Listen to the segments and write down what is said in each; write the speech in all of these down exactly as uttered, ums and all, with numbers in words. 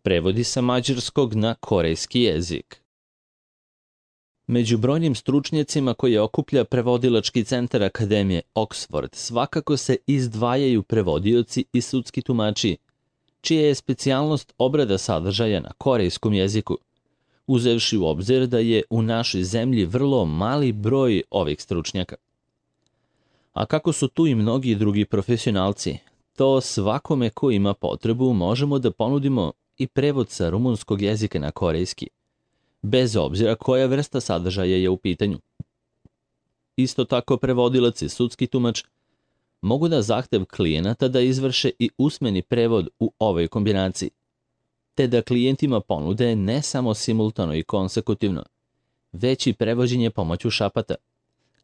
Prevodi sa mađarskog na korejski jezik. Među brojnim stručnjacima koje okuplja prevodilački centar Akademije Oxford svakako se izdvajaju prevodioci i sudski tumači, čija je specijalnost obrada sadržaja na korejskom jeziku, uzevši u obzir da je u našoj zemlji vrlo mali broj ovih stručnjaka. A kako su tu i mnogi drugi profesionalci, to svakome ko ima potrebu možemo da ponudimo i prevod sa rumunskog jezika na korejski, bez obzira koja vrsta sadržaja je u pitanju. Isto tako prevodilac i sudski tumač mogu na zahtev klijenata da izvrše i usmeni prevod u ovoj kombinaciji, te da klijentima ponude ne samo simultano i konsekutivno, već i prevođenje pomoću šapata,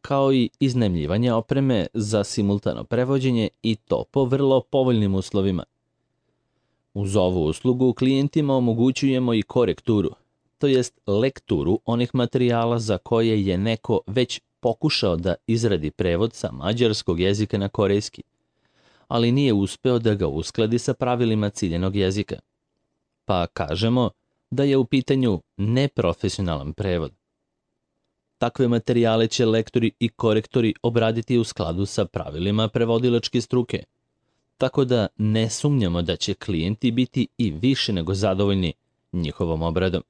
kao i iznajmljivanje opreme za simultano prevođenje i to po vrlo povoljnim uslovima. Uz ovu uslugu klijentima omogućujemo i korekturu, to jest lekturu onih materijala za koje je neko već pokušao da izradi prevod sa mađarskog jezika na korejski, ali nije uspeo da ga uskladi sa pravilima ciljenog jezika. Pa kažemo da je u pitanju neprofesionalan prevod. Takve materijale će lektori i korektori obraditi u skladu sa pravilima prevodilačke struke, tako da ne sumnjamo da će klijenti biti i više nego zadovoljni njihovom obradom.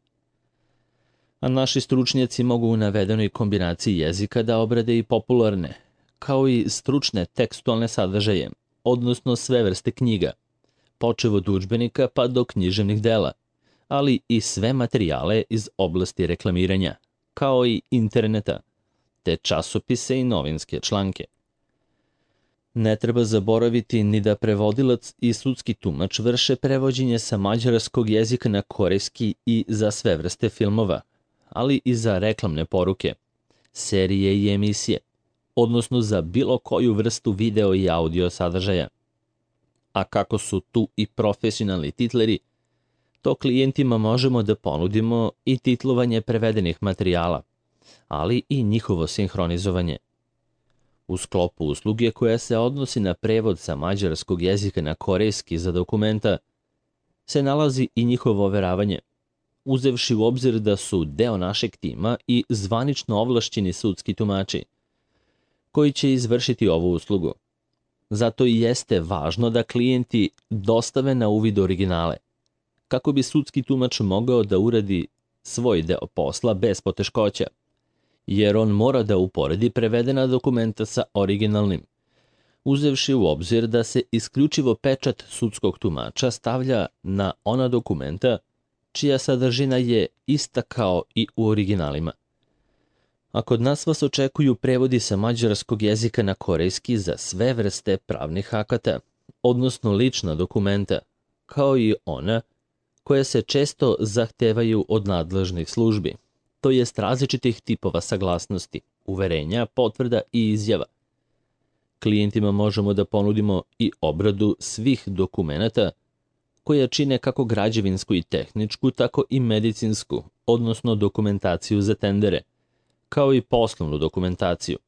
A naši stručnjaci mogu u navedenoj kombinaciji jezika da obrade i popularne, kao i stručne tekstualne sadržaje, odnosno sve vrste knjiga, počev od udžbenika pa do književnih dela, ali i sve materijale iz oblasti reklamiranja, kao i interneta, te časopise i novinske članke. Ne treba zaboraviti ni da prevodilac i sudski tumač vrše prevođenje sa mađarskog jezika na korejski i za sve vrste filmova, ali i za reklamne poruke, serije i emisije, odnosno za bilo koju vrstu video i audio sadržaja. A kako su tu i profesionalni titleri, to klijentima možemo da ponudimo i titlovanje prevedenih materijala, ali i njihovo sinhronizovanje. U sklopu usluge koja se odnosi na prevod sa mađarskog jezika na korejski za dokumenta se nalazi i njihovo overavanje, uzevši u obzir da su deo našeg tima i zvanično ovlašćeni sudski tumači, koji će izvršiti ovu uslugu. Zato i jeste važno da klijenti dostave na uvid originale, kako bi sudski tumač mogao da uradi svoj deo posla bez poteškoća, jer on mora da uporedi prevedena dokumenta sa originalnim, uzevši u obzir da se isključivo pečat sudskog tumača stavlja na ona dokumenta čija sadržina je ista kao i u originalima. A kod nas vas očekuju prevodi sa mađarskog jezika na korejski za sve vrste pravnih akata, odnosno lična dokumenta, kao i ona koje se često zahtevaju od nadležnih službi, to jest različitih tipova saglasnosti, uverenja, potvrda i izjava. Klijentima možemo da ponudimo i obradu svih dokumenata koja čine kako građevinsku i tehničku, tako i medicinsku, odnosno dokumentaciju za tendere, kao i poslovnu dokumentaciju.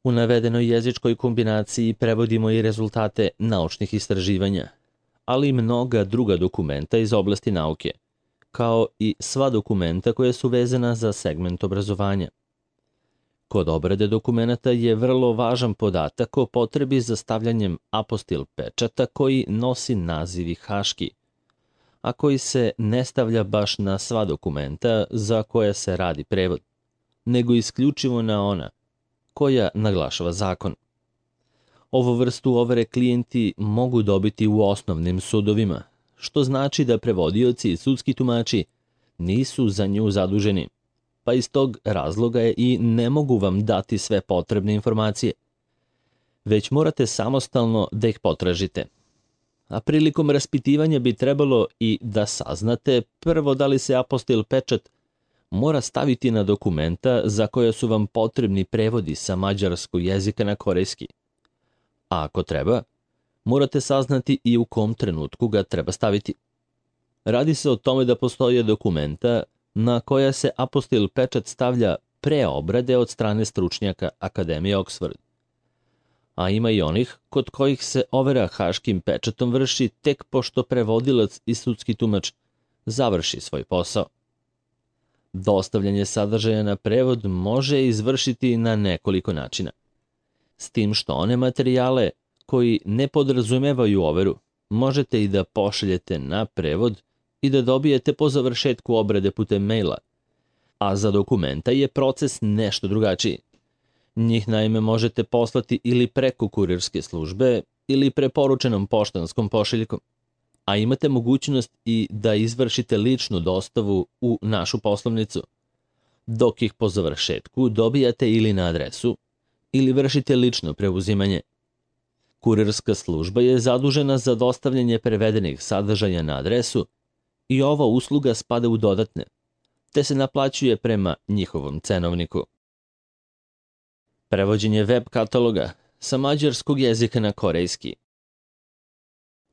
U navedenoj jezičkoj kombinaciji prevodimo i rezultate naučnih istraživanja, ali i mnoga druga dokumenta iz oblasti nauke, kao i sva dokumenta koja su vezana za segment obrazovanja. Kod obrade dokumenta je vrlo važan podatak o potrebi za stavljanjem apostil pečata koji nosi naziv i haški, a koji se ne stavlja baš na sva dokumenta za koja se radi prevod, nego isključivo na ona koja naglašava zakon. Ovu vrstu overe klijenti mogu dobiti u osnovnim sudovima, što znači da prevodioci i sudski tumači nisu za nju zaduženi, pa iz tog razloga je i ne mogu vam dati sve potrebne informacije, već morate samostalno da ih potražite. A prilikom raspitivanja bi trebalo i da saznate prvo da li se apostil pečat mora staviti na dokumenta za koja su vam potrebni prevodi sa mađarskog jezika na korejski. A ako treba, morate saznati i u kom trenutku ga treba staviti. Radi se o tome da postoje dokumenta na koja se apostil pečat stavlja pre obrade od strane stručnjaka Akademije Oxford. a ima i onih kod kojih se overa haškim pečatom vrši tek pošto prevodilac i sudski tumač završi svoj posao. Dostavljanje sadržaja na prevod može izvršiti na nekoliko načina. S tim što one materijale koji ne podrazumevaju overu možete i da pošaljete na prevod i da dobijete po završetku obrade putem maila, a za dokumenta je proces nešto drugačiji. Njih naime možete poslati ili preko kurirske službe ili preporučenom poštanskom pošiljkom, a imate mogućnost i da izvršite ličnu dostavu u našu poslovnicu, dok ih po završetku dobijate ili na adresu ili vršite lično preuzimanje. Kurirska služba je zadužena za dostavljanje prevedenih sadržaja na adresu i ova usluga spada u dodatne, te se naplaćuje prema njihovom cenovniku. Prevođenje web kataloga sa mađarskog jezika na korejski.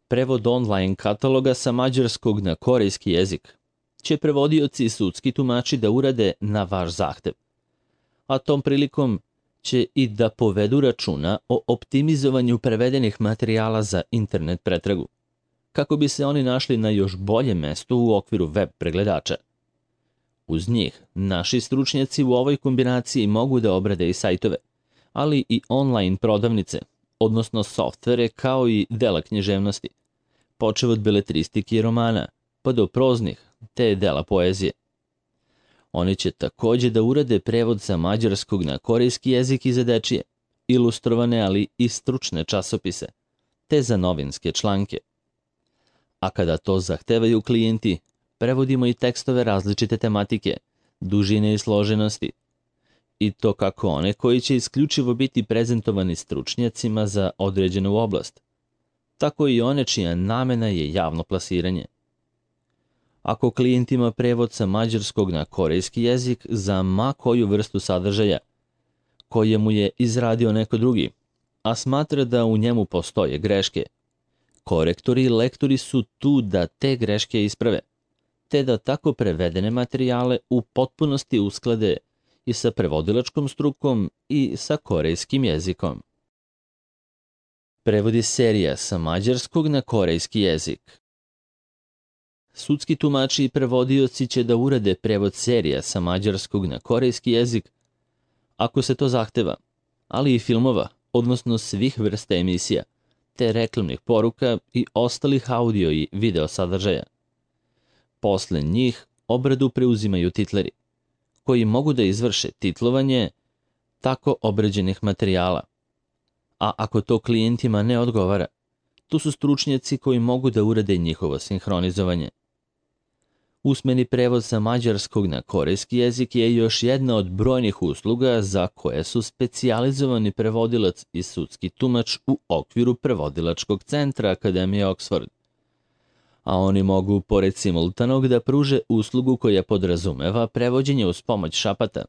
Prevod online kataloga sa mađarskog na korejski jezik će prevodioci i sudski tumači da urade na vaš zahtev, a tom prilikom će i da povedu računa o optimizovanju prevedenih materijala za internet pretragu, kako bi se oni našli na još boljem mestu u okviru web pregledača. Uz njih, naši stručnjaci u ovoj kombinaciji mogu da obrade i sajtove, ali i online prodavnice, odnosno softvere kao i dela književnosti, počev od beletristike i romana, pa do proznih te dela poezije. Oni će takođe da urade prevod sa mađarskog na korejski jezik i za dečije, ilustrovane ali i stručne časopise, te za novinske članke. A kada to zahtevaju klijenti, prevodimo i tekstove različite tematike, dužine i složenosti, i to kako one koji će isključivo biti prezentovani stručnjacima za određenu oblast, tako i one čija namena je javno plasiranje. Ako klijent ima prevod sa mađarskog na korejski jezik za ma koju vrstu sadržaja, koje mu je izradio neko drugi, a smatra da u njemu postoje greške, korektori i lektori su tu da te greške isprave, te da tako prevedene materijale u potpunosti usklade i sa prevodilačkom strukom i sa korejskim jezikom. Prevodi serija sa mađarskog na korejski jezik. Sudski tumači i prevodioci će da urade prevod serija sa mađarskog na korejski jezik ako se to zahteva, ali i filmova, odnosno svih vrsta emisija, te reklamnih poruka i ostalih audio i video sadržaja. Posle njih obradu preuzimaju titleri, koji mogu da izvrše titlovanje tako obrađenih materijala. A ako to klijentima ne odgovara, tu su stručnjaci koji mogu da urade njihovo sinhronizovanje. Usmeni prevod sa mađarskog na korejski jezik je još jedna od brojnih usluga za koje su specijalizovani prevodilac i sudski tumač u okviru prevodilačkog centra Akademije Oxford. A oni mogu, pored simultanog, da pruže uslugu koja podrazumeva prevođenje uz pomoć šapata,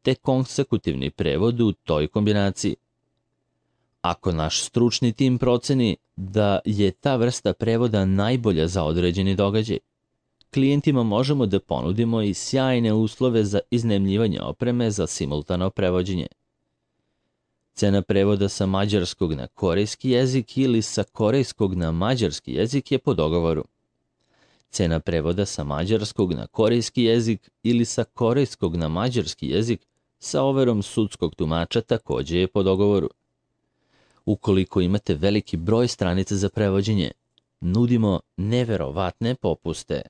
te konsekutivni prevod u toj kombinaciji. Ako naš stručni tim proceni da je ta vrsta prevoda najbolja za određeni događaj, klijentima možemo da ponudimo i sjajne uslove za iznajmljivanje opreme za simultano prevođenje. Cena prevoda sa mađarskog na korejski jezik ili sa korejskog na mađarski jezik je po dogovoru. Cena prevoda sa mađarskog na korejski jezik ili sa korejskog na mađarski jezik sa overom sudskog tumača takođe je po dogovoru. Ukoliko imate veliki broj stranica za prevođenje, nudimo neverovatne popuste.